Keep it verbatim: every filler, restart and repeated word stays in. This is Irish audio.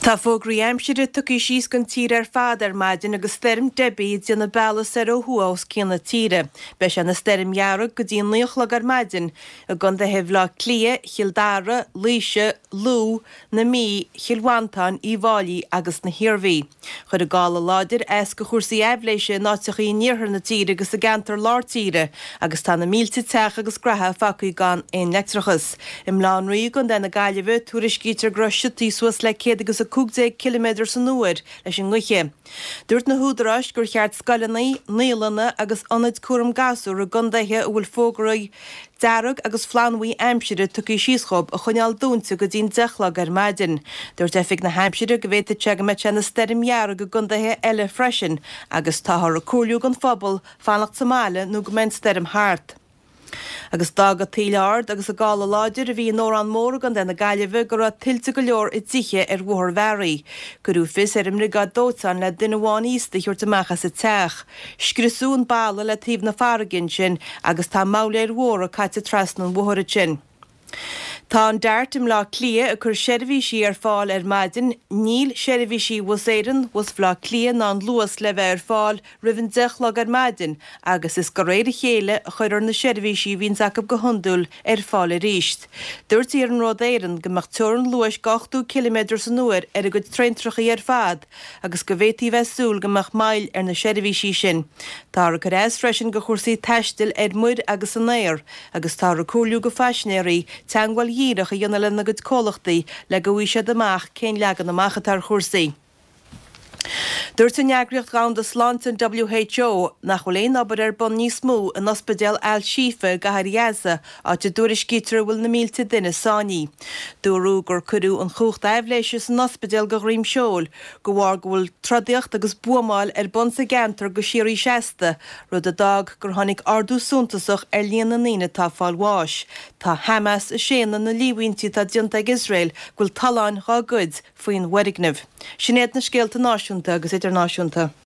Tá fógraí aimsire tugtha síos don tír ar fad ar maidin agus stoirm Debbie ag déanamh bealaigh soir ó thuaidh os cionn na tíre. Beidh sé ina stoirm dhearg go dtí naoi a chlog ar maidin i gcontaetha Bhaile Átha Cliath, Chill Dara, Laoise, Lú, na Mí, Chill Mhantáin, Uíbh Fháilí agus na hIarmhí. Chuir an gála láidir as do chúrsaí aibhléise in áiteachaí in iarthar na tíre agus i gceantar lár tíre agus tá na mílte teach agus gnaithe fágtha gan aon leictreachas. I mBaile Átha an Rí i gContae na Gaillimhe, tuairiscítear go raibh siotaí suas le céad agus a cúig déag ciliméadar san uair leis an ngaoth. Dúirt na húdaráis gur cheart scoileanna, naíolanna agus ionaid cúram gasúr i gcontaetha a bhfuil fógraí dearg agus flannbhuí aimsire tugtha síos dhóibh a choinneáil dúnta go dtí'n deich a chlog ar maidin. Dúirt Oifig na hAimsire go bhféadfadh sé go mbeadh sé ina stoirm dhearg i gcontaetha eile freisin agus táthar ag comhairliú don phobal fanacht sa mbaile nó go mbeidh an stoirm thart. Agus d'fhág an taoille ard agus an gála láidir a bhí in Órán Mór i gContae na Gaillimhe go raibh tuilte go leor i dtithe ar Bhóthar Bhearaí. Cuireadh fios ar an mbriogáid dóiteáin le duine amháin aosta a thabhairt amach as an teach. Scriosadh an balla le taobh na farraige ansin agus tá moghlaeir mhóra caite trasna an bhóthair ansin. Tá an DART i mBleá Cliath ag cur seirbhísí ar fáil ar maidin. Níl seirbhísí Bhus Éireann, Bhus Bhaile Átha Cliath ná an Luas le bheith ar fáil roimh an deich a chlog ar maidin agus is de réir a chéile a chuirfear na seirbhísí a bhíonns acu go hiondúil ar fáil arís. Dúirt Iarnród Éireann go mbeadh teorainn luais de ochtó ciliméadar san uair ar a gcuid traentrachaí ar fad agus go bhféadfaí bheith súil go mbeadh moill ar na seirbhísí sin. Táthar ag cur as freisin do chúrsaí taistil ar muir agus san aer agus táthar ag comhairliú do phaisinéirí teagmháil dhíreach a dhéanamh lena gcuid comhlachtaí le go bhfaighidh siad amach cén leagan amach atá ar chúrsaí. Dúirt an Eagraíocht Dhomhanda Sláinte an WHO nach bhfuil aon obair ar bun níos mó in ospidéal Al-Shifa i gcathair Ghaza, áit a dtuairiscítear a bhfuil na mílte duine sáinnithe. Dúradh gur cuireadh an chumhacht aibhléise san ospidéal de dhroim seoil de bharr go bhfuil trodaíocht agus buamáil ar bun sa gceantar go síoraí seasta, rud a d'fhág gur tháinig ardú suntasach ar líon na ndaoine atá ag fáil bháis. Tá Hamas ag séanadh na líomhaintí atá déanta ag Iosrael go bhfuil tolláin dhá gcuid faoin bhfoirgneamh. Sin iad na scéalta náisiúnta agus idirnáisiúnta.